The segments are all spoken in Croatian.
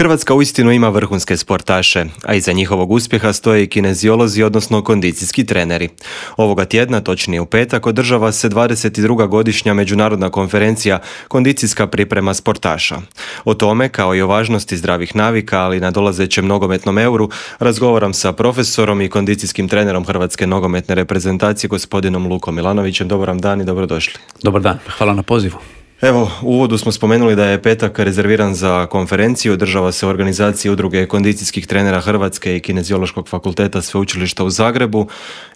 Hrvatska uistinu ima vrhunske sportaše, a iza njihovog uspjeha stoje i kineziolozi, odnosno kondicijski treneri. Ovoga tjedna, točnije u petak, održava se 22. godišnja međunarodna konferencija Kondicijska priprema sportaša. O tome, kao i o važnosti zdravih navika, ali na dolazećem nogometnom euru, razgovaram sa profesorom i kondicijskim trenerom Hrvatske nogometne reprezentacije, gospodinom Lukom Milanovićem. Dobar vam dan i dobrodošli. Dobar dan, hvala na pozivu. Evo, u uvodu smo spomenuli da je petak rezerviran za konferenciju, održava se u organizaciji Udruge kondicijskih trenera Hrvatske i Kineziološkog fakulteta Sveučilišta u Zagrebu.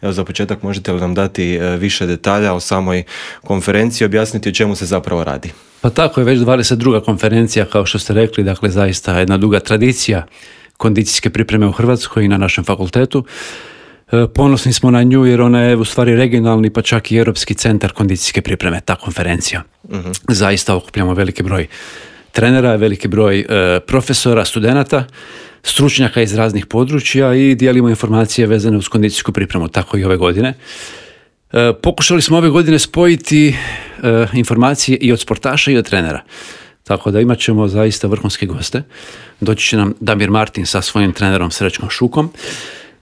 Evo, za početak možete li nam dati više detalja o samoj konferenciji, objasniti o čemu se zapravo radi? Pa tako je već 22. konferencija, kao što ste rekli, dakle zaista jedna duga tradicija kondicijske pripreme u Hrvatskoj i na našem fakultetu. Ponosni smo na nju jer ona je u stvari regionalni pa čak i europski centar kondicijske pripreme, ta konferencija. Zaista okupljamo veliki broj trenera, veliki broj profesora, studenata, stručnjaka iz raznih područja i dijelimo informacije vezane uz kondicijsku pripremu, tako i ove godine. Pokušali smo ove godine spojiti informacije i od sportaša i od trenera. Tako da imat ćemo zaista vrhunske goste. Doći će nam Damir Martin sa svojim trenerom Srećkom Šukom.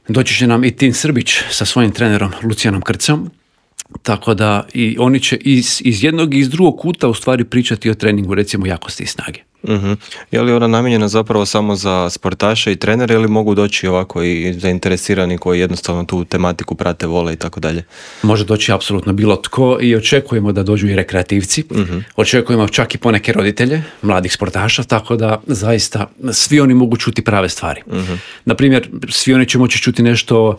Doći će nam i Tin Srbić sa svojim trenerom Lucijanom Krcom, tako da i oni će iz jednog i iz drugog kuta u stvari pričati o treningu, recimo jakosti i snage. Je li ona namijenjena zapravo samo za sportaše i trenere ili mogu doći ovako i zainteresirani koji jednostavno tu tematiku prate, vole i tako dalje? Može doći apsolutno bilo tko i očekujemo da dođu i rekreativci, očekujemo čak i poneke roditelje mladih sportaša, tako da zaista svi oni mogu čuti prave stvari. Naprimjer, svi oni će moći čuti nešto o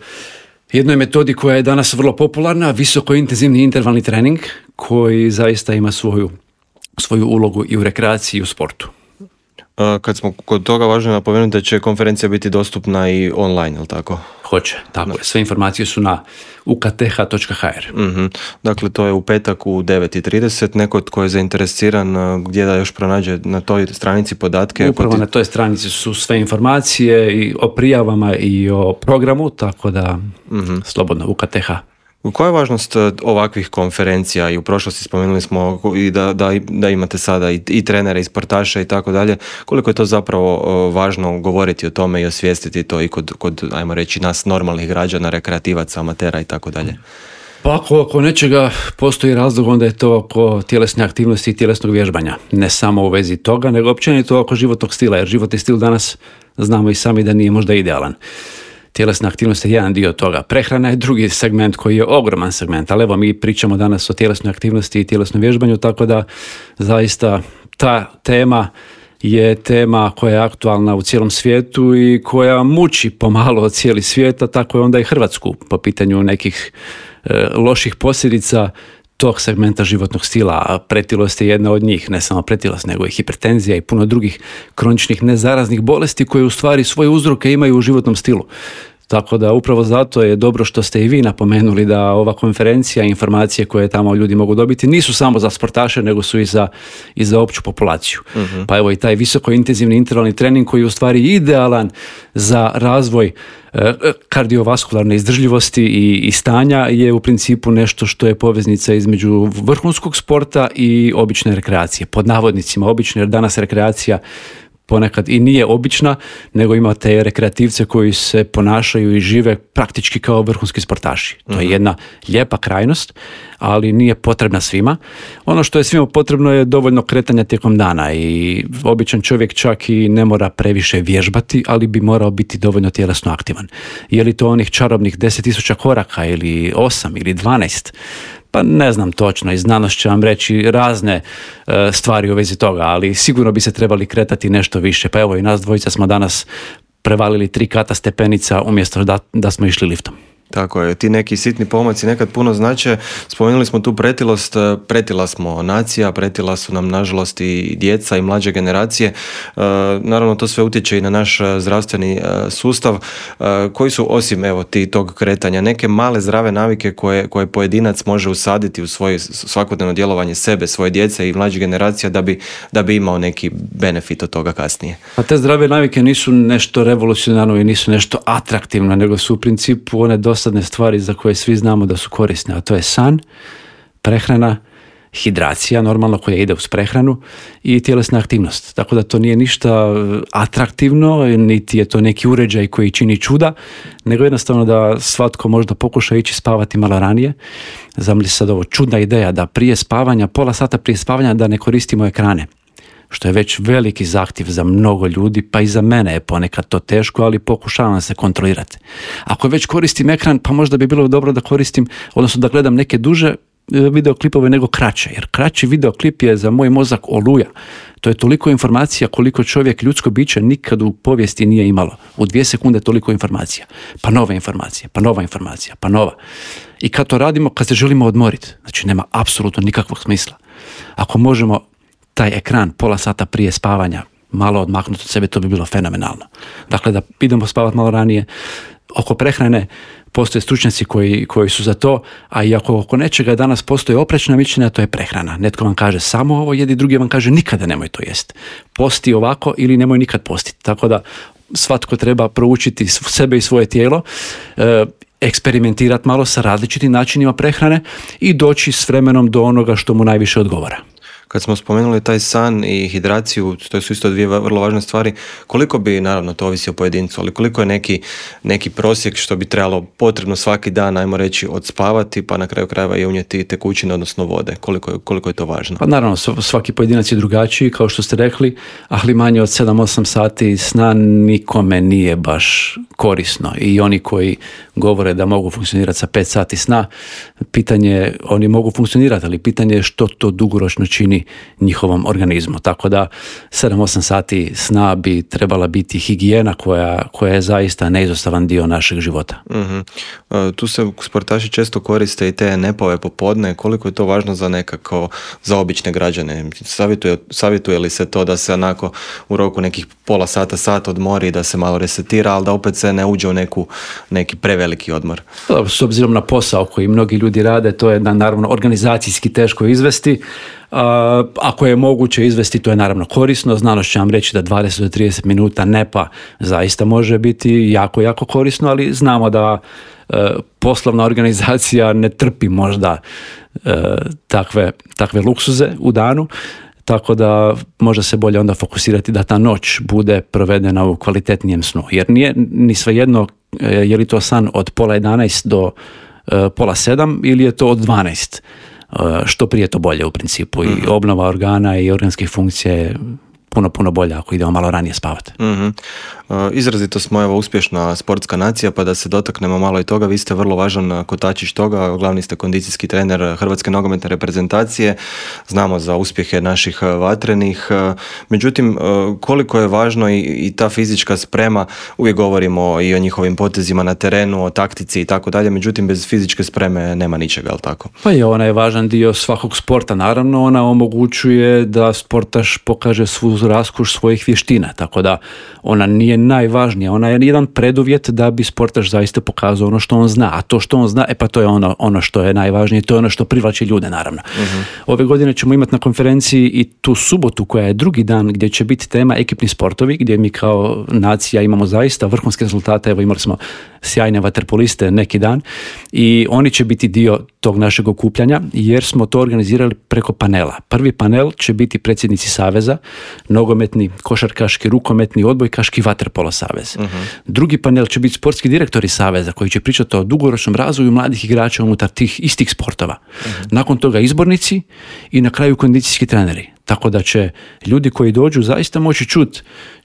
jednoj metodi koja je danas vrlo popularna, visoko intenzivni intervalni trening koji zaista ima svoju ulogu i u rekreaciji i u sportu. Kad smo kod toga, važno je napomenuti da će konferencija biti dostupna i online, ili tako? Hoće, tako je. Sve informacije su na ukth.hr. Dakle, to je u petak u 9:30. Neko tko je zainteresiran, gdje da još pronađe na toj stranici podatke? Upravo na toj stranici su sve informacije i o prijavama i o programu, tako da slobodno UKTH. Koja je važnost ovakvih konferencija? I u prošlosti spomenuli smo i da imate sada i trenere i sportaše i tako dalje. Koliko je to zapravo važno govoriti o tome i osvijestiti to i kod ajmo reći, nas normalnih građana, rekreativaca, amatera i tako dalje? Pa ako nečega postoji razlog, onda je to oko tjelesne aktivnosti i tjelesnog vježbanja. Ne samo u vezi toga, nego općenito oko životnog stila, jer životni stil danas znamo i sami da nije možda idealan. Tjelesna aktivnost je jedan dio toga. Prehrana je drugi segment koji je ogroman segment, ali evo mi pričamo danas o tjelesnoj aktivnosti i tjelesnom vježbanju, tako da zaista ta tema je tema koja je aktualna u cijelom svijetu i koja muči pomalo cijeli svijet, a tako je onda i Hrvatsku po pitanju nekih loših posljedica tog segmenta životnog stila, a pretilost je jedna od njih, ne samo pretilost, nego i hipertenzija i puno drugih kroničnih nezaraznih bolesti koje u stvari svoje uzroke imaju u životnom stilu. Tako da upravo zato je dobro što ste i vi napomenuli da ova konferencija i informacije koje tamo ljudi mogu dobiti nisu samo za sportaše, nego su i za opću populaciju. Pa evo i taj visoko intenzivni intervalni trening koji je u stvari idealan za razvoj kardiovaskularne izdržljivosti i stanja je u principu nešto što je poveznica između vrhunskog sporta i obične rekreacije. Pod navodnicima obične, jer danas rekreacija ponekad i nije obična, nego imate rekreativce koji se ponašaju i žive praktički kao vrhunski sportaši. To je jedna lijepa krajnost, ali nije potrebna svima. Ono što je svima potrebno je dovoljno kretanja tijekom dana i običan čovjek čak i ne mora previše vježbati, ali bi morao biti dovoljno tjelesno aktivan. Je li to onih čarobnih 10.000 koraka ili 8 ili 12? Pa ne znam točno i znanost će vam reći razne stvari u vezi toga, ali sigurno bi se trebali kretati nešto više. Pa evo i nas dvojica smo danas prevalili 3 kata stepenica umjesto da smo išli liftom. Tako je, ti neki sitni pomaci nekad puno znače. Spomenuli smo tu pretilost, pretila smo nacija, pretila su nam nažalost i djeca i mlađe generacije. Naravno to sve utječe i na naš zdravstveni sustav. Koji su osim tog kretanja neke male zdrave navike koje pojedinac može usaditi u svoje svakodnevno djelovanje sebe, svoje djece i mlađe generacija da bi imao neki benefit od toga kasnije? A te zdrave navike nisu nešto revolucionarno i nisu nešto atraktivno, nego su u principu one dosadne stvari za koje svi znamo da su korisne, a to je san, prehrana hidracija, normalno koja ide uz prehranu i tjelesna aktivnost. Tako da to nije ništa atraktivno, niti je to neki uređaj koji čini čuda, nego jednostavno da svatko možda pokuša ići spavati malo ranije. Zamisli sad ovo čudna ideja da prije spavanja, pola sata prije spavanja da ne koristimo ekrane, što je već veliki zahtjev za mnogo ljudi, pa i za mene je ponekad to teško, ali pokušavam se kontrolirati. Ako već koristim ekran, pa možda bi bilo dobro da koristim, odnosno da gledam neke duže videoklipove nego kraće, jer kraći videoklip je za moj mozak oluja. To je toliko informacija koliko čovjek, ljudsko biće, nikad u povijesti nije imalo. U 2 sekunde toliko informacija, pa nova informacija, pa nova informacija, pa nova. I kad to radimo, kad se želimo odmoriti, znači nema apsolutno nikakvog smisla. Ako možemo taj ekran pola sata prije spavanja malo odmaknuti od sebe, to bi bilo fenomenalno. Dakle, da idemo spavati malo ranije. Oko prehrane postoje stručnjaci koji su za to, a i ako oko nečega danas postoje oprečna mišljenja, to je prehrana. Netko vam kaže samo ovo jedi, drugi vam kaže nikada nemoj to jest. Posti ovako ili nemoj nikad postiti. Tako da svatko treba proučiti sebe i svoje tijelo, eksperimentirati malo sa različitim načinima prehrane i doći s vremenom do onoga što mu najviše odgovara. Kad smo spomenuli taj san i hidraciju, to su isto 2 vrlo važne stvari, koliko bi, naravno to ovisi o pojedincu, ali koliko je neki prosjek što bi trebalo potrebno svaki dan, ajmo reći, odspavati, pa na kraju krajeva i unijeti tekućine, odnosno vode, koliko je to važno? Pa naravno, svaki pojedinac je drugačiji, kao što ste rekli, ali manje od 7-8 sati sna nikome nije baš korisno. I oni koji govore da mogu funkcionirati sa 5 sati sna, pitanje, oni mogu funkcionirati, ali pitanje je što to dugoročno čini njihovom organizmu. Tako da 7-8 sati sna bi trebala biti higijena koja je zaista neizostavan dio našeg života. Mm-hmm. Tu se sportaši često koriste i te nepove popodne. Koliko je to važno za obične građane? Savjetuje li se to da se onako u roku nekih pola sata, sat odmori, da se malo resetira, ali da opet se ne uđe u neki preveliki odmor? S obzirom na posao koji mnogi ljudi rade, to je naravno organizacijski teško izvesti. Ako je moguće izvesti, to je naravno korisno. Znanost će vam reći da 20 do 30 minuta nepa zaista može biti jako, jako korisno, ali znamo da poslovna organizacija ne trpi možda takve luksuze u danu, tako da može se bolje onda fokusirati da ta noć bude provedena u kvalitetnijem snu. Jer nije ni svejedno je li to san od 9:30 do 6:30 ili je to od 12. Što prije to bolje u principu. I obnova organa i organskih funkcija je puno bolje ako idemo malo ranije spavati. Mm-hmm. Izrazito smo uspješna sportska nacija, pa da se dotaknemo malo i toga. Vi ste vrlo važan kotačić toga, glavni ste kondicijski trener Hrvatske nogometne reprezentacije. Znamo za uspjehe naših vatrenih. Međutim, koliko je važno i ta fizička sprema, uvijek govorimo i o njihovim potezima na terenu, o taktici i tako dalje, međutim bez fizičke spreme nema ničega, ali tako? Pa je, ona je važan dio svakog sporta, naravno, ona omogućuje da sportaš pokaže svu raskoš svojih vještina, tako da ona nije najvažnija, ona je jedan preduvjet da bi sportaš zaista pokazao ono što on zna, a to što on zna, pa to je ono što je najvažnije, to je ono što privlači ljude, naravno. Uh-huh. Ove godine ćemo imati na konferenciji i tu subotu koja je drugi dan gdje će biti tema ekipni sportovi, gdje mi kao nacija imamo zaista vrhunske rezultate. Evo, imali smo sjajne vaterpoliste neki dan i oni će biti dio tog našeg okupljanja jer smo to organizirali preko panela. Prvi panel će biti predsjednici saveza, nogometni, košarkaški, rukometni, odbojkaški, vaterpolo savez. Uh-huh. Drugi panel će biti sportski direktori saveza koji će pričati o dugoročnom razvoju mladih igrača unutar tih istih sportova. Uh-huh. Nakon toga izbornici i na kraju kondicijski treneri. Tako da će ljudi koji dođu zaista moći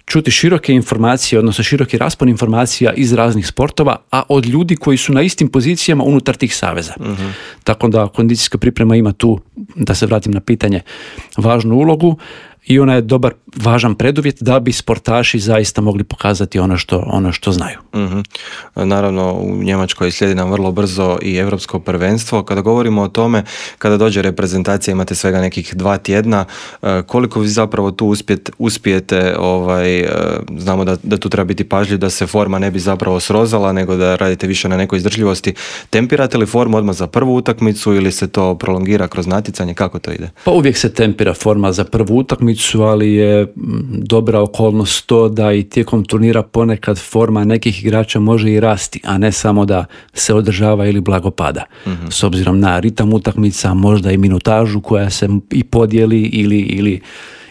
čuti široke informacije, odnosno široki raspon informacija iz raznih sportova, a od ljudi koji su na istim pozicijama unutar tih saveza. Uh-huh. Tako da kondicijska priprema ima tu, da se vratim na pitanje, važnu ulogu i ona je dobar, važan preduvjet da bi sportaši zaista mogli pokazati ono što znaju. Uh-huh. Naravno, u Njemačkoj slijedi nam vrlo brzo i Europsko prvenstvo. Kada govorimo o tome, kada dođe reprezentacija, imate svega nekih 2 tjedna, koliko vi zapravo tu uspijete, znamo da tu treba biti pažljiv, da se forma ne bi zapravo srozala, nego da radite više na nekoj izdržljivosti. Tempirate li formu odmah za prvu utakmicu ili se to prolongira kroz natjecanje? Kako to ide? Pa uvijek se tempira forma za prvu utakmicu, utakmicu, ali je dobra okolnost to da i tijekom turnira ponekad forma nekih igrača može i rasti, a ne samo da se održava ili blago pada. S obzirom na ritam utakmica, možda i minutažu koja se i podijeli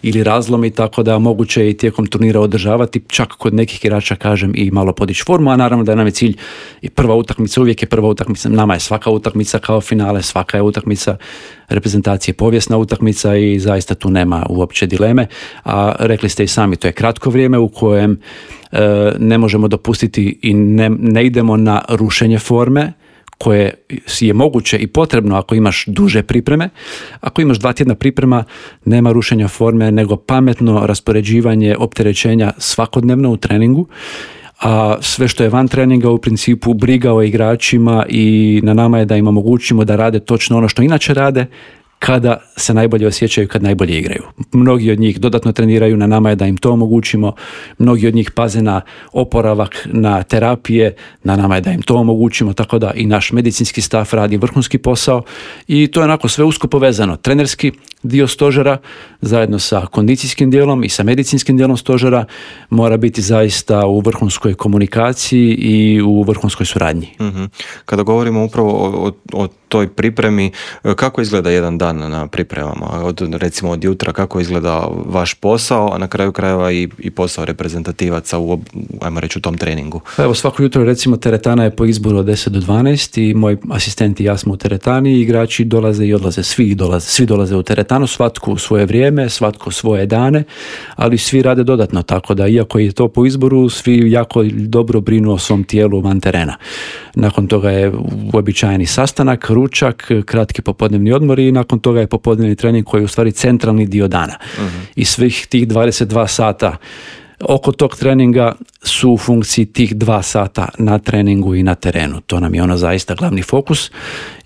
ili razlomi, tako da moguće je i tijekom turnira održavati, čak kod nekih igrača, kažem, i malo podići formu, a naravno da nam je cilj i prva utakmica, uvijek je prva utakmica, nama je svaka utakmica kao finale, svaka je utakmica reprezentacije povijesna utakmica i zaista tu nema uopće dileme, a rekli ste i sami, to je kratko vrijeme u kojem ne možemo dopustiti i ne idemo na rušenje forme, koje je moguće i potrebno ako imaš duže pripreme. Ako imaš 2 tjedna priprema, nema rušenja forme, nego pametno raspoređivanje opterećenja svakodnevno u treningu, a sve što je van treninga u principu briga o igračima i na nama je da im omogućimo da rade točno ono što inače rade, kada se najbolje osjećaju, kad najbolje igraju. Mnogi od njih dodatno treniraju, na nama je da im to omogućimo, mnogi od njih paze na oporavak, na terapije, na nama je da im to omogućimo, tako da i naš medicinski staff radi vrhunski posao i to je onako sve usko povezano. Trenerski dio stožera zajedno sa kondicijskim dijelom i sa medicinskim dijelom stožera mora biti zaista u vrhunskoj komunikaciji i u vrhunskoj suradnji. Kada govorimo upravo o toj pripremi, kako izgleda jedan dan na pripremama? Recimo od jutra, kako izgleda vaš posao, a na kraju krajeva i posao reprezentativaca ajmo reći, u tom treningu? Evo, svako jutro recimo teretana je po izboru od 10 do 12 i moj asistent i ja smo u teretani i igrači dolaze i odlaze, svi dolaze u teretanu, svatko u svoje vrijeme, svatko svoje dane, ali svi rade dodatno, tako da iako je to po izboru, svi jako dobro brinu o svom tijelu van terena. Nakon toga je uobičajeni sastanak, ručak, kratki popodnevni odmor i nakon toga je popodnevni trening koji je u stvari centralni dio dana. I svih tih 22 sata oko tog treninga su u funkciji tih 2 sata na treningu i na terenu. To nam je ono zaista glavni fokus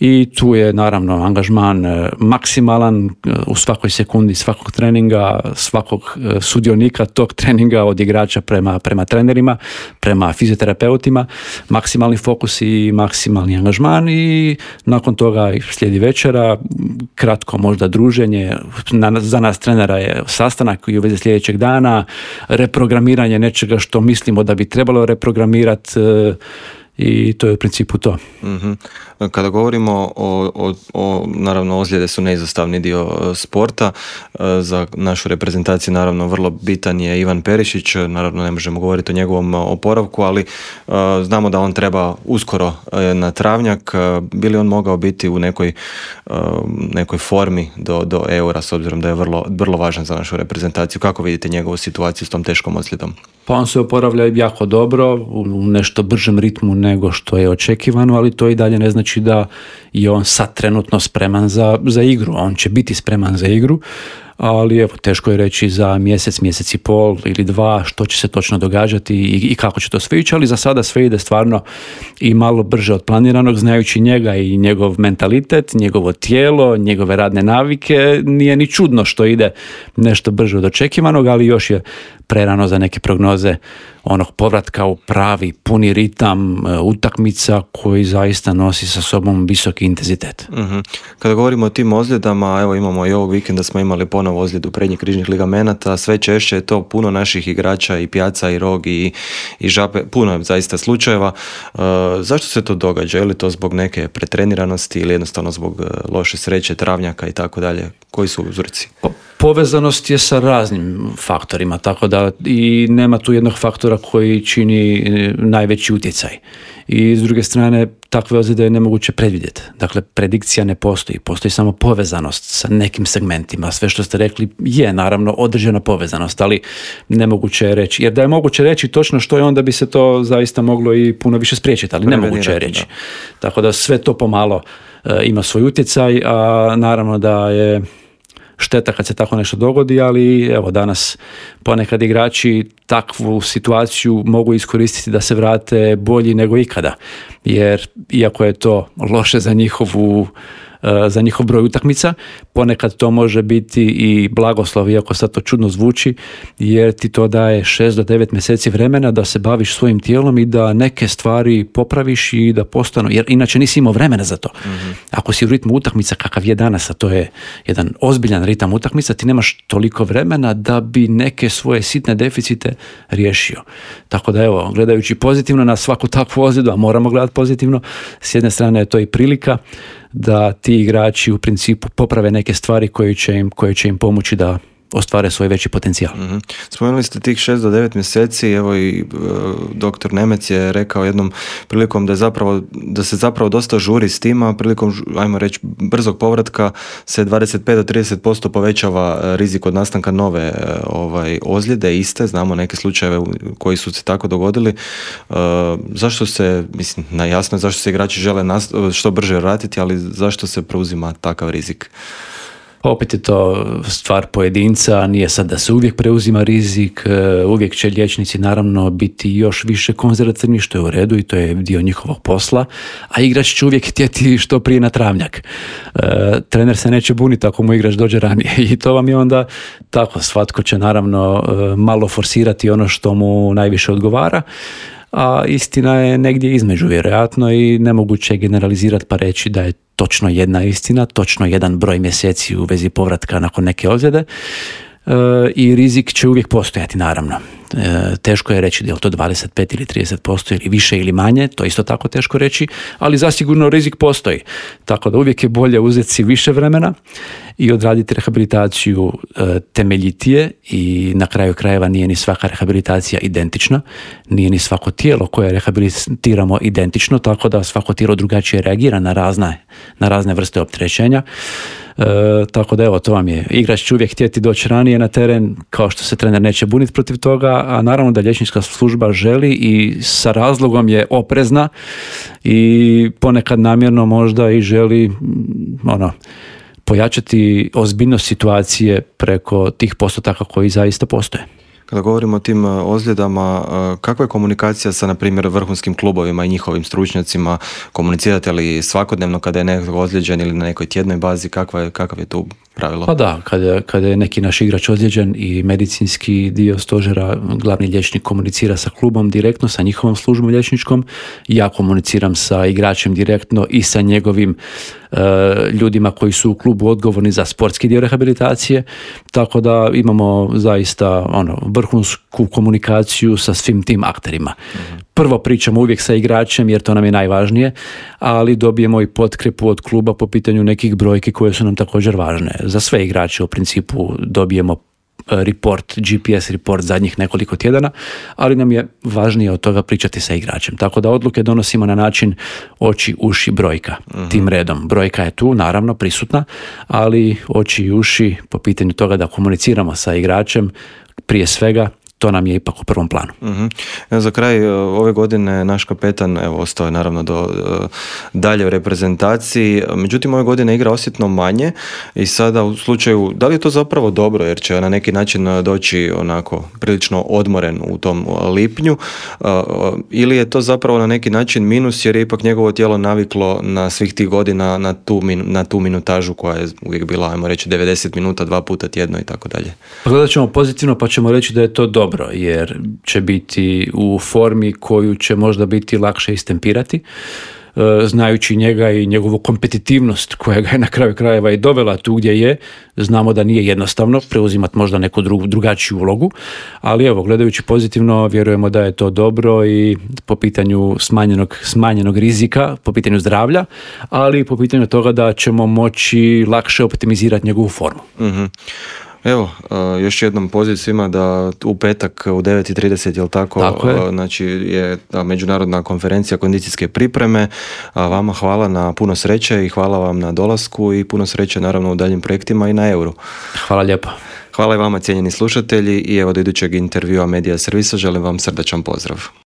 i tu je naravno angažman maksimalan u svakoj sekundi svakog treninga, svakog sudionika tog treninga, od igrača prema trenerima, prema fizioterapeutima, maksimalni fokus i maksimalni angažman i nakon toga slijedi večera, kratko možda druženje, za nas trenera je sastanak i u vezi sljedećeg dana, reprogramiranje nečega što mislimo da bi trebalo reprogramirati i to je u principu to. Kada govorimo o naravno ozljede su neizostavni dio sporta, za našu reprezentaciju naravno vrlo bitan je Ivan Perišić, naravno ne možemo govoriti o njegovom oporavku, ali znamo da on treba uskoro na travnjak. Bi li on mogao biti u nekoj formi do Eura, s obzirom da je vrlo važan za našu reprezentaciju? Kako vidite njegovu situaciju s tom teškom ozljedom? Pa on se oporavlja jako dobro, u nešto bržem ritmu nego što je očekivano, ali to i dalje ne znači da je on sad trenutno spreman za igru. On će biti spreman za igru, ali evo, teško je reći za mjesec i pol ili 2 što će se točno događati i kako će to sve ići, ali za sada sve ide stvarno i malo brže od planiranog, znajući njega i njegov mentalitet, njegovo tijelo, njegove radne navike. Nije ni čudno što ide nešto brže od očekivanog, ali još je prerano za neke prognoze onog povratka u pravi, puni ritam utakmica koji zaista nosi sa sobom visoki intenzitet. Kada govorimo o tim ozljedama, evo imamo i ovog vikenda smo imali ponovo ozljedu prednjih križnih ligamenata, sve češće je to puno naših igrača i Pjaca i Rog i Žape, puno je zaista slučajeva. Zašto se to događa? Je li to zbog neke pretreniranosti ili jednostavno zbog loše sreće, travnjaka i tako dalje? Koji su uzroci? Povezanost je sa raznim faktorima, tako da i nema tu jednog faktora koji čini najveći utjecaj. I s druge strane, takve ozljede je nemoguće predvidjeti. Dakle, predikcija ne postoji, postoji samo povezanost sa nekim segmentima. Sve što ste rekli je naravno određena povezanost, ali nemoguće je reći. Jer da je moguće reći točno što je, onda bi se to zaista moglo i puno više spriječiti, ali nemoguće je reći. Tako da sve to pomalo ima svoj utjecaj, a naravno da je šteta kad se tako nešto dogodi, ali evo danas ponekad igrači takvu situaciju mogu iskoristiti da se vrate bolji nego ikada, jer iako je to loše za njihovu za njihov broj utakmica. Ponekad to može biti i blagoslov, iako sad to čudno zvuči, jer ti to daje 6 do 9 mjeseci vremena da se baviš svojim tijelom i da neke stvari popraviš i da postanu, jer inače nisi imao vremena za to. Ako si u ritmu utakmica kakav je danas, a to je jedan ozbiljan ritam utakmica, ti nemaš toliko vremena da bi neke svoje sitne deficite riješio. Tako da evo, gledajući pozitivno na svaku takvu ozljedu, a moramo gledati pozitivno, s jedne strane je to i prilika da ti igrači u principu poprave neke stvari koje će im pomoći da ostvare svoj veći potencijal. Spomenuli ste tih 6 do 9 mjeseci, evo i doktor Nemec je rekao jednom prilikom da se zapravo dosta žuri s tima, prilikom, ajmo reći, brzog povratka se 25 do 30% povećava rizik od nastanka nove ozljede, iste, znamo neke slučajeve koji su se tako dogodili. Zašto se, mislim, jasno je zašto se igrači žele što brže vratiti, ali zašto se preuzima takav rizik? Opet je to stvar pojedinca, nije sad da se uvijek preuzima rizik, uvijek će liječnici naravno biti još više konzervativni, što je u redu i to je dio njihovog posla, a igrač će uvijek htjeti što prije na travnjak. Trener se neće buniti ako mu igrač dođe ranije i to vam je onda tako, svatko će naravno malo forsirati ono što mu najviše odgovara, a istina je negdje između vjerojatno i nemoguće je generalizirati pa reći da je točno jedna istina, točno jedan broj mjeseci u vezi povratka nakon neke ozljede i rizik će uvijek postojati naravno. Teško je reći da je to 25 ili 30% ili više ili manje, to je isto tako teško reći, ali zasigurno rizik postoji. Tako da uvijek je bolje uzeti si više vremena i odraditi rehabilitaciju temeljitije i na kraju krajeva nije ni svaka rehabilitacija identična, nije ni svako tijelo koje rehabilitiramo identično, tako da svako tijelo drugačije reagira na razne vrste opterećenja. Tako da evo, to vam je, igrač će uvijek htjeti doći ranije na teren, kao što se trener neće buniti protiv toga, a naravno da liječnička služba želi i sa razlogom je oprezna i ponekad namjerno možda i želi pojačati ozbiljnost situacije preko tih postotaka koji zaista postoje. Kada govorimo o tim ozljedama, kakva je komunikacija sa, na primjer, vrhunskim klubovima i njihovim stručnjacima? Komunicirate li svakodnevno kada je neko ozlijeđen ili na nekoj tjednoj bazi? Kakav je tu pravilo? Pa da, kada je neki naš igrač ozlijeđen i medicinski dio stožera, glavni liječnik komunicira sa klubom direktno, sa njihovom službom liječničkom. Ja komuniciram sa igračem direktno i sa njegovim ljudima koji su u klubu odgovorni za sportski dio rehabilitacije, tako da imamo zaista vrhunsku komunikaciju sa svim tim akterima. Prvo pričamo uvijek sa igračem jer to nam je najvažnije, ali dobijemo i potkrepu od kluba po pitanju nekih brojki koje su nam također važne. Za sve igrače u principu dobijemo GPS report zadnjih nekoliko tjedana, ali nam je važnije od toga pričati sa igračem. Tako da odluke donosimo na način oči, uši, brojka. Tim redom. Brojka je tu, naravno, prisutna, ali oči i uši po pitanju toga da komuniciramo sa igračem, prije svega, to nam je ipak u prvom planu. Za kraj ove godine naš kapetan ostao je naravno do dalje u reprezentaciji, međutim ove godine igra osjetno manje i sada u slučaju, da li je to zapravo dobro jer će na neki način doći onako prilično odmoren u tom lipnju ili je to zapravo na neki način minus jer je ipak njegovo tijelo naviklo na svih tih godina na tu minutažu koja je uvijek bila, ajmo reći, 90 minuta 2 puta tjedno i tako dalje. Gledat ćemo pozitivno pa ćemo reći da je to dobro jer će biti u formi koju će možda biti lakše istempirati. Znajući njega i njegovu kompetitivnost koja ga je na kraju krajeva i dovela tu gdje je, znamo da nije jednostavno preuzimati možda neku drugačiju ulogu, ali evo, gledajući pozitivno, vjerujemo da je to dobro i po pitanju smanjenog rizika, po pitanju zdravlja, ali po pitanju toga da ćemo moći lakše optimizirati njegovu formu. Evo, još jednom poziv svima da u petak u 9:30, jel tako znači je međunarodna konferencija kondicijske pripreme. Vama hvala na puno sreće i hvala vam na dolasku i puno sreće naravno u daljim projektima i na Euru. Hvala lijepo. Hvala i vama, cijenjeni slušatelji, i evo do idućeg intervjua Medija servisa želim vam srdačan pozdrav.